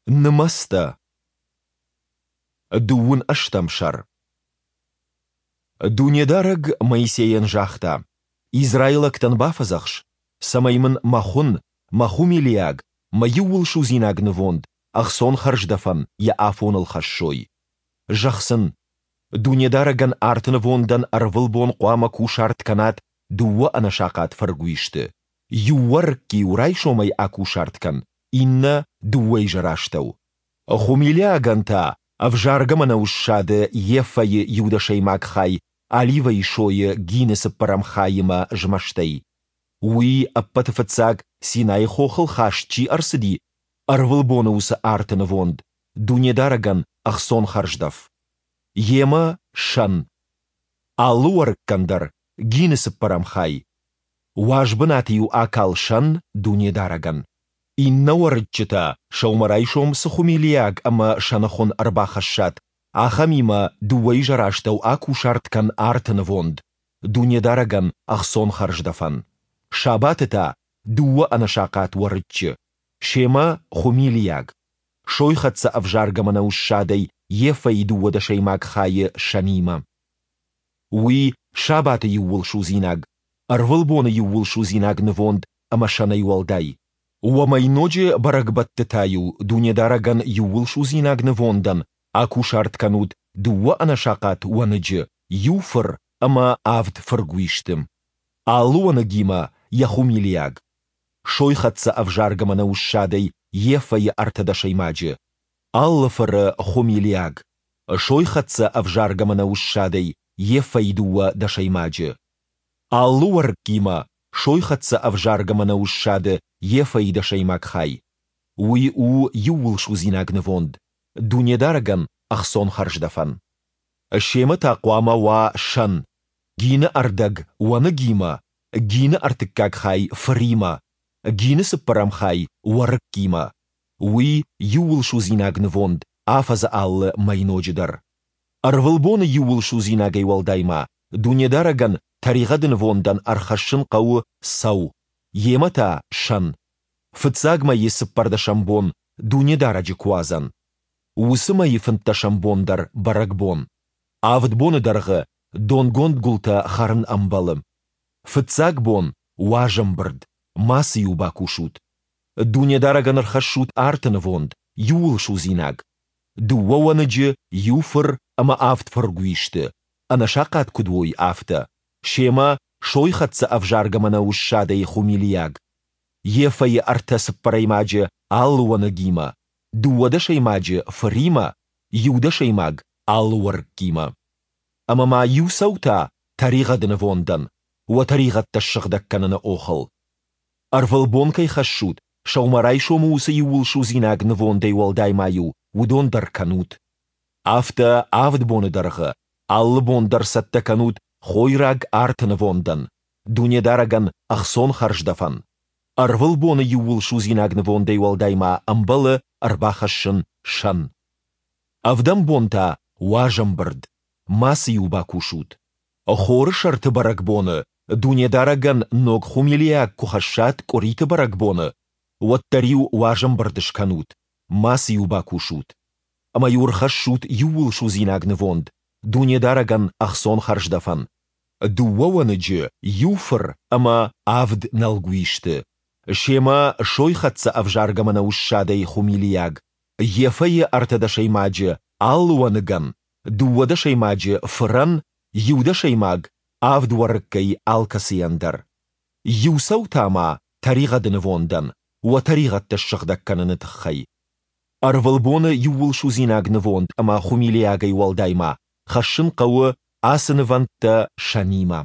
Нымӕцтӕ. Дыууын ӕстӕм сӕр. Дунедарӕг Моисейӕн загъта: Израилӕгтӕн бафӕдзӕхс, цӕмӕй мын мӕ хуын, мӕ хуымилиаг, мӕ иууылсудзинаг нывонд ӕхцон хӕрздӕфӕн йӕ афоныл хӕссой. Зӕгъ сын: Дунедарӕгӕн арты нывондӕн ӕрвылбон хъуамӕ кусарт кӕнат дыууӕ ӕнӕсахъат фыргуисты. Иу уӕрыкк-иу райсомӕй акусарт кӕн, иннӕ дыууӕизӕрастӕу. Хуымилиагӕн та ӕвзаргӕ мӕнӕуы ссады ефӕйы иу дӕсӕймаг хай оливӕйы сойы гины цыппӕрӕм хаимӕ змӕстӕй. Уый ӕппӕты фыццаг Синайы хохыл хаст чи ӕрцыди, ӕрвылбоны уыцы арты нывонд, Дунедарӕгӕн ӕхцон хӕрздӕф. Йемӕ сӕн. Алы уӕрыккӕн дӕр гины цыппӕрӕм хай. Уаз бынаты-иу акал сӕн Дунедарӕгӕн. Иннӕ уӕрыччы та сӕумӕрайсом цы хуымилиаг ӕмӕ сӕны хуын ӕрбахӕссат, ахӕмимӕ дыууӕизӕрастӕу акусарт кӕн арты нывонд, Дунедарӕгӕн ӕхцон хӕрздӕфӕн. Сабаты та дыууӕ ӕнӕсахъат уӕрыччы, семӕ хуымилиаг, сойхӕццӕ ӕвзаргӕ мӕнӕуы ссадӕй ефӕйы дыууадӕсӕймаг хайы сӕнимӕ. Уый сабаты иууылсудзинаг, ӕрвылбоны иууылсудзинаг нывонд ӕмӕ сӕнӕй уӕлдай. Уӕ мӕйноджы бӕрӕгбӕтты та-иу Дунедарӕгӕн иууылсудзинаг нывондӕн акусарт кӕнут дыууӕ ӕнӕсахъат уӕныджы, иу фыр ӕмӕ авд фыргуисты. Алы уӕныгимӕ йӕ хуымилиаг. Сойхӕццӕ ӕвзаргӕ мӕнӕуы ссадӕй ефӕйы ӕртӕдӕсӕймаджы, алы фыры хуымилиаг. Сойхӕццӕ ӕвзаргӕ мӕнӕуы ссадӕй ефӕйы дыууӕ дӕсӕймаджы. Алы уӕрыккимӕ сойхӕццӕ ӕвзаргӕ мӕнӕуы ссады ефӕйы дӕсӕймаг хай. Уый у иууылсудзинаг нывонд, Дунедарӕгӕн ӕхцон хӕрздӕфӕн. Семӕ та хъуамӕ уа сӕн, гины ӕрдӕг уӕныгимӕ, гины ӕртыккаг хай фыримӕ, гины цыппӕрӕм хай уӕрыккимӕ. Уый иууылсудзинаг нывонд афӕдзы алы мӕйноджы дӕр. Ӕрвылбоны иууылсудзинагӕй уӕлдай ма Дунедарӕгӕн тӕригъӕды нывондӕн ӕрхӕссын хъӕуы цӕу, йемӕ та сӕн. Фыццаг мӕйы цыппӕрдӕсӕм бон Дунедарӕджы Куадзӕн. Уыцы мӕйы фынддӕсӕм бон дӕр бӕрӕгбон. Авд боны дӕргъы донгонд гуылтӕ хӕрын ӕмбӕлы. Фыццаг бон уазӕмбырд, мацы-иу бакусут. Дунедарӕгӕн ӕрхӕссут арты нывонд, иууылсудзинаг. Дыууӕ уӕныджы, иу фыр ӕмӕ авд фыргуисты, ӕнӕсахъат куыд уой, афтӕ, семӕ сойхӕццӕ ӕвзаргӕ мӕнӕуы ссадӕй хуымилиаг. Ефӕйы ӕртӕ цыппӕрӕймаджы алы уӕныгимӕ, дыууадӕсӕймаджы фыримӕ, иу дӕсӕймаг алы уӕрыккимӕ. Ӕмӕ ма иу цӕу та тӕригъӕды нывондӕн, уӕ тӕригъӕдтӕ ссыгъдӕг кӕныны охыл. Ӕрвылбон кӕй хӕссут, сӕумӕрайсомы уыцы иууылсудзинаг нывондӕй уӕлдай ма-иу уыдон дӕр кӕнут. Афтӕ авд боны дӕргъы алы бон дӕр цӕттӕ кӕнут хойраг арты нывондӕн, Дунедарӕгӕн ӕхцон хӕрздӕфӕн. Ӕрвылбоны иууылсудзинаг нывондӕй уӕлдай ма ӕмбӕлы ӕрбахӕссын сӕн. Ӕвдӕм бон та уазӕмбырд, мацы-иу бакусут. Хоры сӕрты бӕрӕгбоны Дунедарӕгӕн ног хуымилиаг куы хӕссат къуыриты бӕрӕгбоны, уӕддӕр-иу уазӕмбырд скӕнут, мацы-иу бакусут. Ӕмӕ-иу ӕрхӕссут иууылсудзинаг нывонд, Дунедарӕгӕн ӕхцон хӕрздӕфӕн, дыууӕ уӕныджы, иу фыр ӕмӕ авд нӕлгуисты, семӕ сойхӕццӕ ӕвзаргӕ мӕнӕуы ссадӕй хуымилиаг, ефӕйы ӕртӕдӕсӕймаджы алы уӕныгӕн, дыууадӕсӕймаджы фырӕн, иу дӕсӕймаг авд уӕрыккӕй алкӕцыйӕн дӕр. Иу цӕу та ма тӕригъӕды нывондӕн, уӕ тӕригъӕдтӕ ссыгъдӕг кӕныны тыххӕй. Ӕрвылбоны иууылсудзинаг нывонд ӕмӕ хуымилиагӕй уӕлдай ма хӕссын хъӕуы ацы нывӕндтӕ сӕнимӕ.